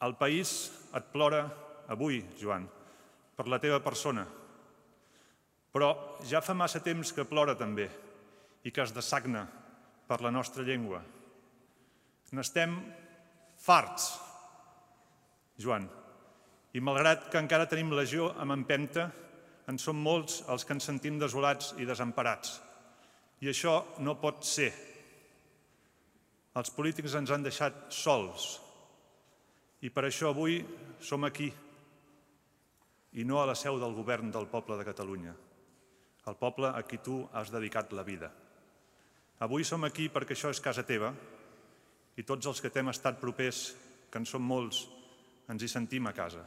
El país et plora avui, Joan, per la teva persona, però ja fa massa temps que plora també i que es dessagna per la nostra llengua. N'estem farts, Joan, i malgrat que encara tenim legió amb empenta, en som molts els que ens sentim desolats i desemparats. I això no pot ser. Els polítics ens han deixat sols i per això avui som aquí i no a la seu del govern del poble de Catalunya, el poble a qui tu has dedicat la vida. Avui som aquí perquè això és casa teva i tots els que t'hem estat propers, que en som molts, ens hi sentim a casa.